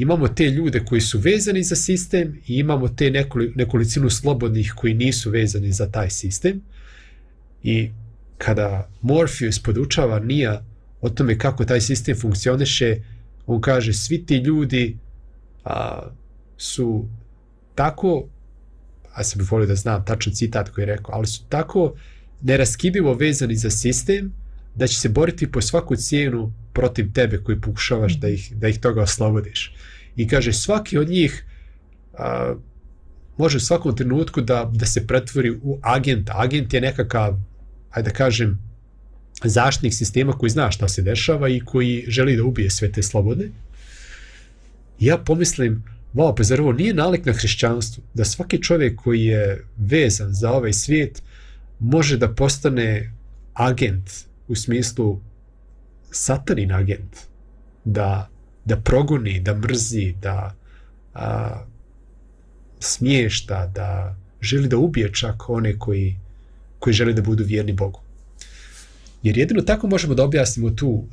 A: imamo te ljude koji su vezani za sistem i imamo te nekoli, nekolicinu slobodnih koji nisu vezani za taj sistem. I kada Morpheus podučava Nija o tome kako taj sistem funkcioniše, on kaže svi ti ljudi a, su tako, a sam bih volio da znam tačan citat koji je rekao, ali su tako neraskidivo vezani za sistem da će se boriti po svaku cijenu protiv tebe koji pokušavaš da ih, da ih toga oslobodiš. I kaže svaki od njih a, može u svakom trenutku da, da se pretvori u agenta. Agent je nekakav, ajde da kažem, zaštitnik sistema koji zna šta se dešava i koji želi da ubije sve te slobode. I ja pomislim, wow, pa zar ovo nije nalik na hrišćanstvu, da svaki čovjek koji je vezan za ovaj svijet može da postane agent, u smislu satanin agent, da, da progoni, da mrzi, da a, smješta, da želi da ubije čak one koji, koji žele da budu vjerni Bogu. Jer jedino tako možemo da objasnimo tu,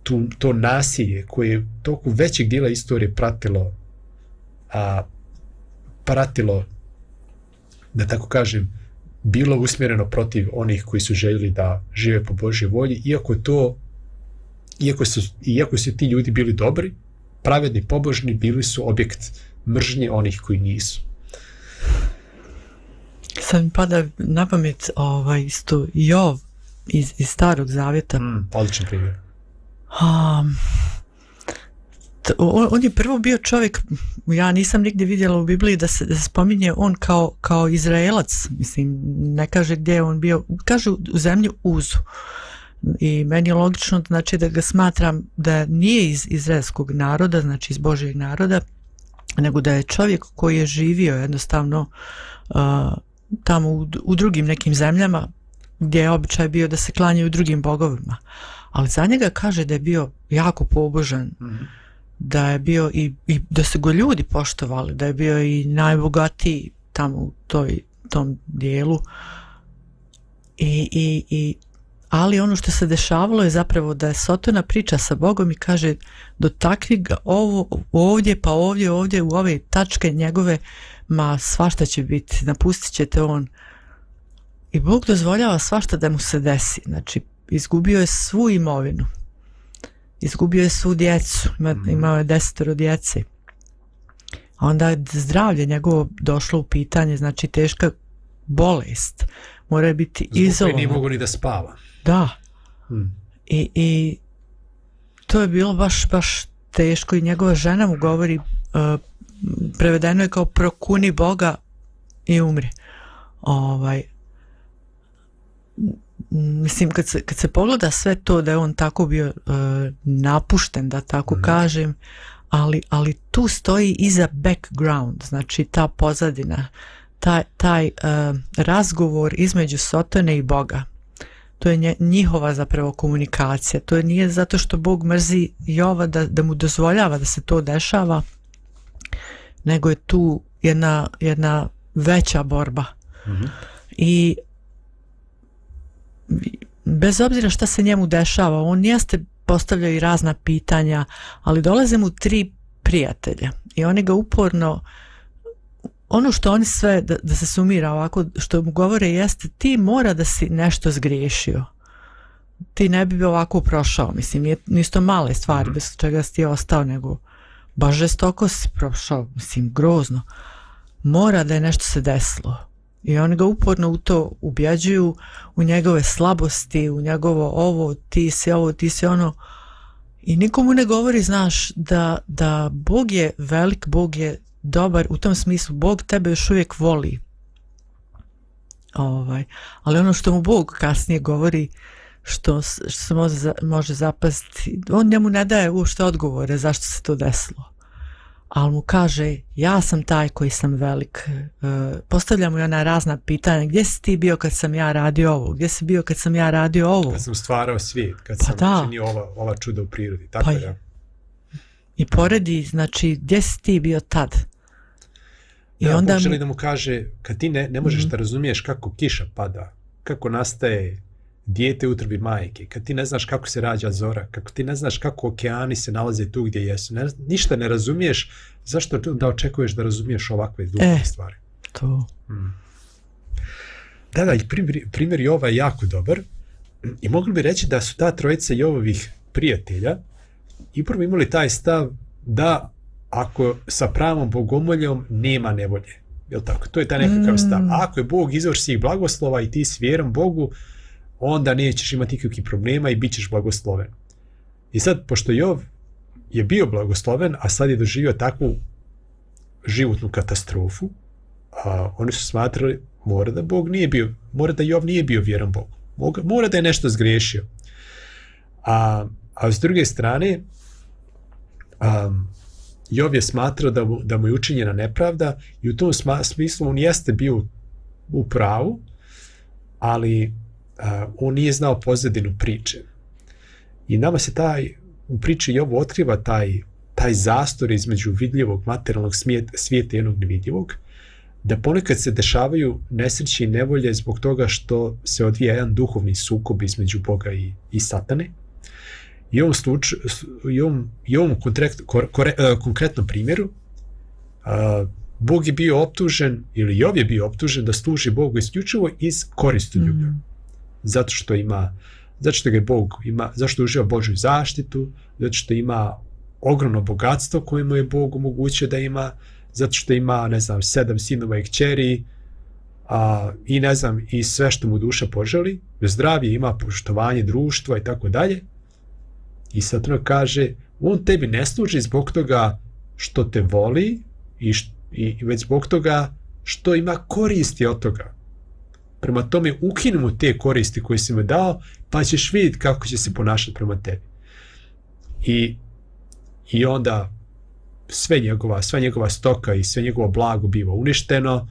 A: tu, to nasilje koje je toku većeg dijela istorije pratilo, a, pratilo, da tako kažem, bilo usmjereno protiv onih koji su željeli da žive po Božjoj volji, iako to, iako su, iako su ti ljudi bili dobri, pravedni, pobožni, bili su objekt mržnje onih koji nisu.
C: Sad mi pada na pamet ovaj, isto Jov iz, iz Starog Zavjeta.
A: Mm, odličan primjer.
C: Um, on, on je prvo bio čovjek, ja nisam nigdje vidjela u Bibliji da se, da se spominje on kao, kao Izraelac, mislim, ne kaže gdje je on bio, kaže u zemlji Uzu. I meni je logično, znači, da ga smatram da nije iz izraelskog naroda, znači iz Božjeg naroda, nego da je čovjek koji je živio jednostavno uh, tamo u, u drugim nekim zemljama gdje je običaj bio da se klanjaju drugim bogovima. Ali za njega kaže da je bio jako pobožan, mm-hmm. da je bio i, i da se go ljudi poštovali, da je bio i najbogatiji tamo u toj, tom dijelu. I, i, i, ali ono što se dešavalo je zapravo da je Sotona priča sa Bogom i kaže dotakni ga ovo, ovdje, pa ovdje, ovdje, u ove tačke njegove, ma svašta će biti, napustit ćete on. I Bog dozvoljava svašta da mu se desi. Znači, izgubio je svu imovinu. Izgubio je svu djecu. Ima, imao je desetoro djece. A onda je zdravlje njegovo došlo u pitanje, znači teška bolest. Mora biti izolovan.
A: Zbog nije mogu ni da spava.
C: Da.
A: Hmm.
C: I, I to je bilo baš, baš teško i njegova žena mu govori, uh, prevedeno je kao prokuni Boga i umri. Ovaj, mislim, kad se, kad se pogleda sve to da je on tako bio uh, napušten, da tako mm. kažem, ali, ali tu stoji iza background, znači ta pozadina, taj, taj uh, razgovor između Sotone i Boga. To je nje, njihova zapravo komunikacija. To je nije zato što Bog mrzi Jova da, da mu dozvoljava da se to dešava, nego je tu jedna, jedna veća borba. Mm-hmm. I bez obzira šta se njemu dešava, on jeste postavljao i razna pitanja, ali dolaze mu tri prijatelja i oni ga uporno, ono što oni sve, da, da se sumira ovako, što mu govore jeste ti mora da si nešto zgriješio. Ti ne bi ovako prošao, mislim, nije, nisto male stvari mm-hmm. bez čega si ti ostao, nego baš žestoko si prošao, mislim, grozno. Mora da je nešto se desilo. I oni ga uporno u to ubjeđuju, u njegove slabosti, u njegovo ovo, ti si ovo, ti si ono. I nikomu ne govori, znaš, da, da Bog je velik, Bog je dobar, u tom smislu, Bog tebe još uvijek voli. Ovaj. Ali ono što mu Bog kasnije govori, što, što se može, može zapasti, on njemu ne daje uopšte odgovore zašto se to desilo. Ali mu kaže, ja sam taj koji sam velik. E, postavlja mu ona razna pitanja, gdje si ti bio kad sam ja radio ovo? Gdje si bio kad sam ja radio ovo?
A: Kad sam stvarao svijet, kad
C: pa
A: sam
C: da.
A: činio ova, ova čuda u prirodi. Tako
C: pa
A: je.
C: I poredi, znači, gdje si ti bio tad?
A: I ja, onda Bog želi mu... da mu kaže, kad ti ne, ne možeš mm-hmm. da razumiješ kako kiša pada, kako nastaje dijete u utrobi majke, kad ti ne znaš kako se rađa zora, kako ti ne znaš kako okeani se nalaze tu gdje jesu, ne, ništa ne razumiješ, zašto da očekuješ da razumiješ ovakve duhovne
C: e,
A: stvari?
C: To.
A: Hmm. Da, da, i primjer, primjer Jova je jako dobar i mogli bi reći da su ta trojica Jovovih prijatelja i prvo imali taj stav da ako sa pravom bogomoljom nema nevolje. Jel tako? To je taj nekakav stav. A ako je Bog izvor svih blagoslova i ti s vjerom Bogu, onda nećeš imati nikakvih problema i bit ćeš blagosloven. I sad, pošto Jov je bio blagosloven, a sad je doživio takvu životnu katastrofu, a oni su smatrali mora da Bog nije bio, mora da Jov nije bio vjeran Bogu. Mora da je nešto zgriješio. A, a s druge strane, um, Jov je smatrao da mu, da mu je učinjena nepravda i u tom sma, smislu on jeste bio u pravu, ali uh, on nije znao pozadinu priče. I nama se taj, u priči Jovu otkriva taj, taj zastor između vidljivog materijalnog svijeta i jednog nevidljivog, da ponekad se dešavaju nesreće i nevolje zbog toga što se odvija jedan duhovni sukob između Boga i, i Satane. I u ovom, slučaju, i ovom, i ovom konkret, kore, konkretnom primjeru uh, Bog je bio optužen, ili Jov je bio optužen da služi Bogu isključivo iz koristoljublja. Mm. Zato što ima, zato što ga je Bog ima, zašto uživa Božju zaštitu, zato što ima ogromno bogatstvo koje mu je Bog omogućio da ima, zato što ima, ne znam, sedam sinova i kćeri, a, i ne znam, i sve što mu duša poželi, zdravlje, ima poštovanje društva i tako dalje. I sad ono kaže, on tebi ne služi zbog toga što te voli i, š, i već zbog toga što ima koristi od toga. Prema tome ukini mu te koristi koje si mu dao, pa ćeš vidjeti kako će se ponašati prema tebi. I, i onda sve njegova, sva njegova stoka i sve njegovo blago biva uništeno,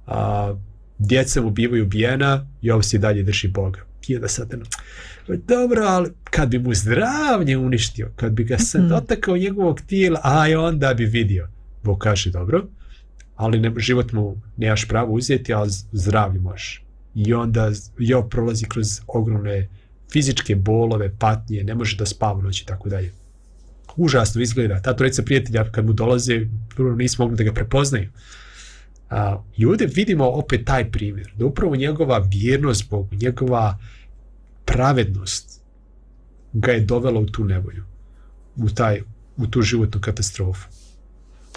A: a, djeca mu bivaju ubijena i ovo se i dalje drži Boga. I onda sad, dobro, ali kad bi mu zdravlje uništio, kad bi ga sad dotakao njegovog tijela, aj onda bi vidio. Bog kaže, dobro, ali ne, život mu nemaš pravo uzeti, ali zdravlje možeš. I onda Jov prolazi kroz ogromne fizičke bolove, patnje, ne može da spava noći i tako dalje. Užasno izgleda. Ta trojica prijatelja kad mu dolaze, prvo nisu mogli da ga prepoznaju. A, I ovdje vidimo opet taj primjer, da upravo njegova vjernost Bogu, njegova pravednost ga je dovela u tu nevolju, u, taj, u tu životnu katastrofu.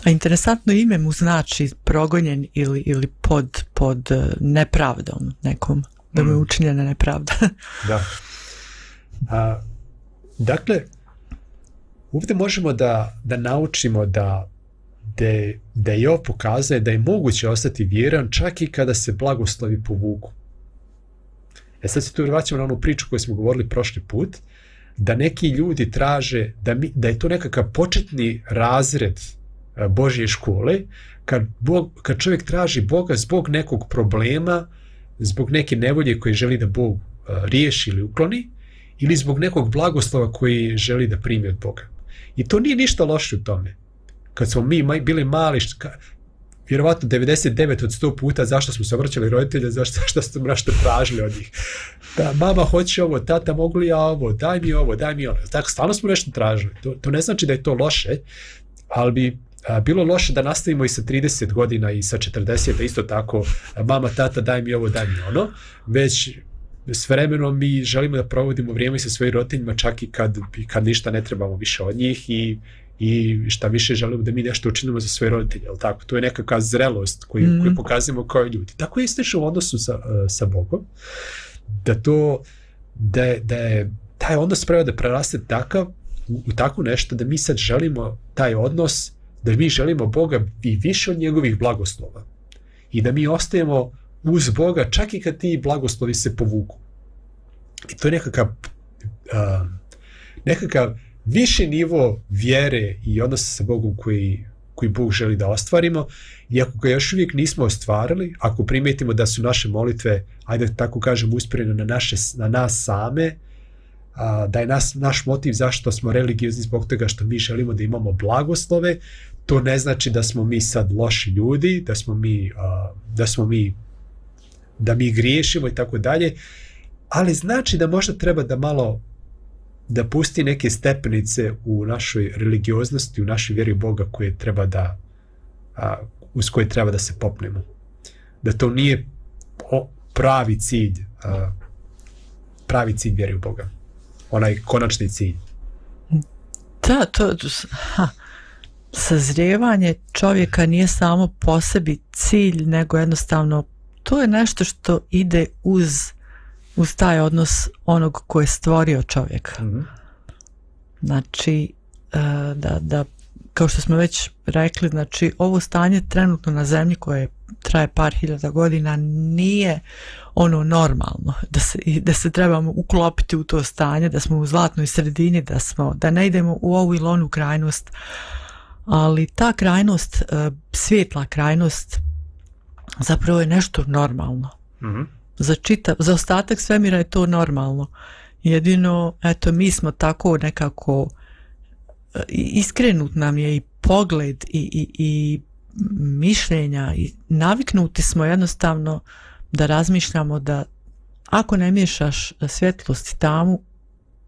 C: A interesantno ime mu znači progonjen ili, ili pod, pod nepravdom nekom, da mu je učinjena nepravda.
A: Da. A, dakle, ovdje možemo da, da naučimo da da, da je Jov pokazuje da je moguće ostati vjeran čak i kada se blagoslovi povuku. E sad se tu vraćamo na onu priču koju smo govorili prošli put, da neki ljudi traže, da, mi, da je to nekakav početni razred Božje škole, kad, Bog, kad čovjek traži Boga zbog nekog problema, zbog neke nevolje koje želi da Bog riješi ili ukloni, ili zbog nekog blagoslova koji želi da primi od Boga. I to nije ništa loše u tome. Kad smo mi bili mali, vjerovatno devedeset devet od sto puta zašto smo se obraćali roditelja, zašto, zašto smo nešto tražili od njih. Da, mama hoće ovo, tata mogu li ja ovo, daj mi ovo, daj mi ono. Tako, stalno smo nešto tražili. To, to ne znači da je to loše, ali bi a, bilo loše da nastavimo i sa trideset godina i sa četrdeset, da isto tako, mama, tata, daj mi ovo, daj mi ono. Već s vremenom mi želimo da provodimo vrijeme sa svojim roditeljima čak i kad, kad ništa ne trebamo više od njih i i šta više želimo da mi nešto učinimo za svoje roditelje, ali tako, to je nekakva zrelost koju, mm. koju pokazujemo kao ljudi. Tako je isto u odnosu sa, sa Bogom, da to, da je, da je taj odnos prema da preraste takav, u, u tako nešto da mi sad želimo taj odnos, da mi želimo Boga i više od njegovih blagoslova i da mi ostajemo uz Boga čak i kad ti blagoslovi se povuku. I to je nekakav uh, nekakav viši nivo vjere i odnosa sa Bogom koji, koji Bog želi da ostvarimo, i ako ga još uvijek nismo ostvarili, ako primijetimo da su naše molitve, ajde tako kažem, usmjerene na, naše, na nas same, a, da je nas, naš motiv zašto smo religiozni zbog toga što mi želimo da imamo blagoslove, to ne znači da smo mi sad loši ljudi, da smo mi, a, da smo mi, da mi griješimo i tako dalje, ali znači da možda treba da malo da pusti neke stepenice u našoj religioznosti, u našoj vjeri u Boga koje treba da, a, uz koje treba da se popnemo. Da to nije o, pravi cilj, a, pravi cilj vjeri u Boga. Onaj konačni cilj.
C: Da, to... Ha. Sazrijevanje čovjeka nije samo po sebi cilj, nego jednostavno to je nešto što ide uz, uz taj odnos onog ko je stvorio čovjeka. Mm-hmm. Znači, da, da, kao što smo već rekli, znači ovo stanje trenutno na zemlji koje traje par hiljada godina nije ono normalno, da se, da se trebamo uklopiti u to stanje, da smo u zlatnoj sredini, da, smo, da ne idemo u ovu ili onu krajnost. Ali ta krajnost, svijetla krajnost, zapravo je nešto normalno. Mm-hmm. Za, čitav, za ostatak svemira je to normalno. Jedino, eto, mi smo tako nekako, iskrenut nam je i pogled i, i, i mišljenja i naviknuti smo jednostavno da razmišljamo da ako ne miješaš svjetlost i tamu,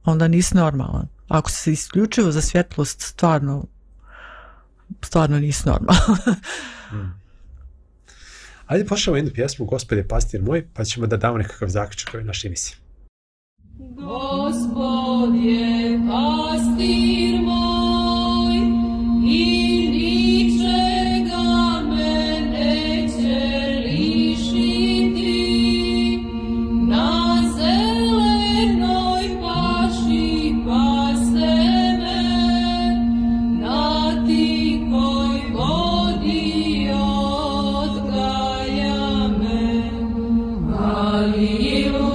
C: onda nisi normalan. Ako se isključivo za svjetlost stvarno stvarno nisi normalno.
A: hmm. Ajde pošljamo jednu pjesmu Gospode pastir moj, pa ćemo da damo nekakav zaključak ovoj našoj emisiji.
D: Gospod je pastir moj i ničega me neće lišiti, na zelenoj paši pase me, na tikoj vodi odgaja me. Aleluja.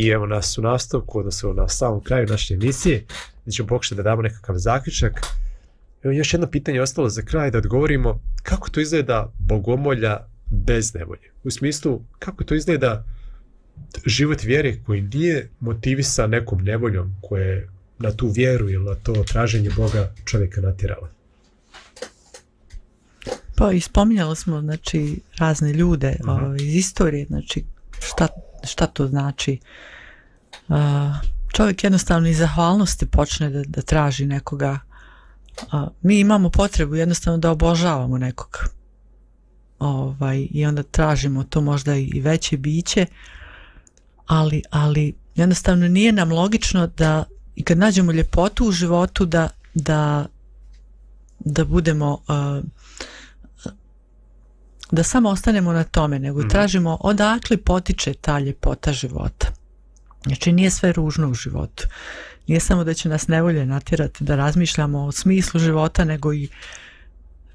A: I evo nas u nastavku, odnosno na samom kraju naše emisije, gdje ćemo pokušati da damo nekakav zaključak. Evo još jedno pitanje ostalo za kraj da odgovorimo kako to izgleda bogomolja bez nevolje. U smislu kako to izgleda život vjere koji nije motivisan nekom nevoljom koje je na tu vjeru ili na to traženje Boga čovjeka natjerala.
C: Pa ispominjali smo znači razne ljude uh, iz istorije, znači šta, šta to znači. Uh, čovjek jednostavno iz zahvalnosti počne da, da traži nekoga. Uh, mi imamo potrebu jednostavno da obožavamo nekoga. Ovaj, i onda tražimo to možda i veće biće, ali, ali jednostavno nije nam logično da i kad nađemo ljepotu u životu da, da, da budemo uh, da samo ostanemo na tome, nego tražimo odakle potiče ta ljepota života. Znači nije sve ružno u životu. Nije samo da će nas nevolje natjerati da razmišljamo o smislu života, nego i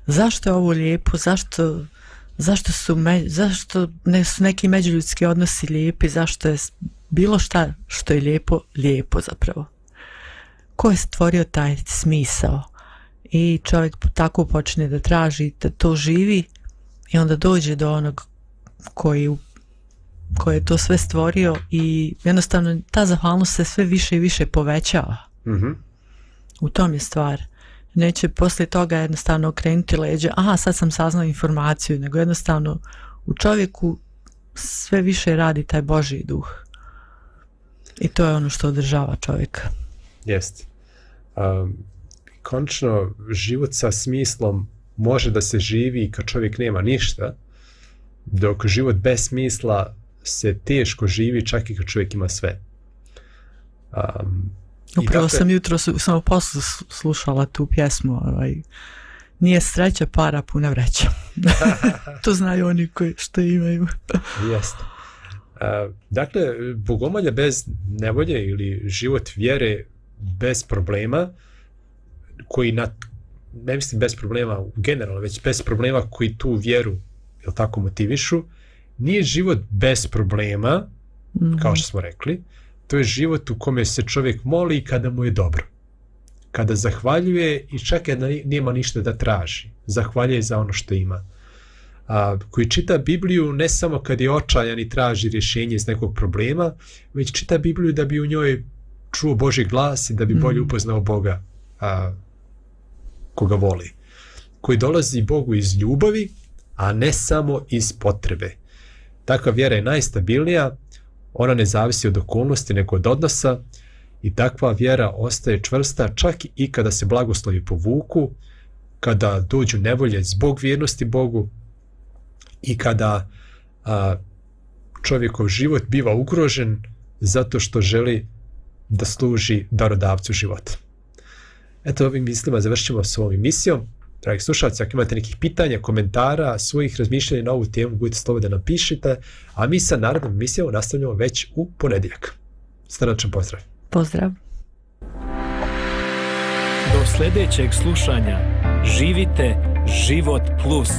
C: zašto je ovo lijepo, zašto, zašto su, me, zašto ne su neki međuljudski odnosi lijepi, zašto je bilo šta što je lijepo, lijepo zapravo. Ko je stvorio taj smisao? I čovjek tako počne da traži, da to živi i onda dođe do onog koji, koji je to sve stvorio i jednostavno ta zahvalnost se sve više i više povećava.
A: Mm-hmm.
C: U tom je stvar. Neće poslije toga jednostavno okrenuti leđe, aha sad sam saznao informaciju, nego jednostavno u čovjeku sve više radi taj Božji duh. I to je ono što održava čovjeka.
A: Jeste. Um, konačno život sa smislom može da se živi kad čovjek nema ništa, dok život bez smisla se teško živi čak i kad čovjek ima sve. Um,
C: Upravo
A: dakle,
C: sam jutro sam u poslu slušala tu pjesmu, ovaj, nije sreća para puna vreća. To znaju oni koji što imaju.
A: Jeste. Uh, dakle, bogomolja bez nevolje ili život vjere bez problema, koji na, ne mislim bez problema generalno, već bez problema koji tu vjeru jel tako motivišu, nije život bez problema, mm-hmm. kao što smo rekli, to je život u kome se čovjek moli kada mu je dobro. Kada zahvaljuje i čak kada nema ništa da traži. Zahvaljuje za ono što ima. A, koji čita Bibliju ne samo kad je očajan i traži rješenje iz nekog problema, već čita Bibliju da bi u njoj čuo Božji glas i da bi bolje upoznao Boga a, koga voli. Koji dolazi Bogu iz ljubavi, a ne samo iz potrebe. Takva vjera je najstabilnija, ona ne zavisi od okolnosti nego od odnosa i takva vjera ostaje čvrsta čak i kada se blagoslovi povuku, kada dođu nevolje zbog vjernosti Bogu i kada a, čovjekov život biva ugrožen zato što želi da služi darodavcu života. Eto, ovim mislima završimo s ovom emisijom. Dragi slušalci, ako imate nekih pitanja, komentara, svojih razmišljanja na ovu temu, budite slobodni da napišite, a mi sa narednom emisijom nastavljamo već u ponedjeljak. Srdačan pozdrav.
C: Pozdrav.
B: Do sljedećeg slušanja živite Život plus.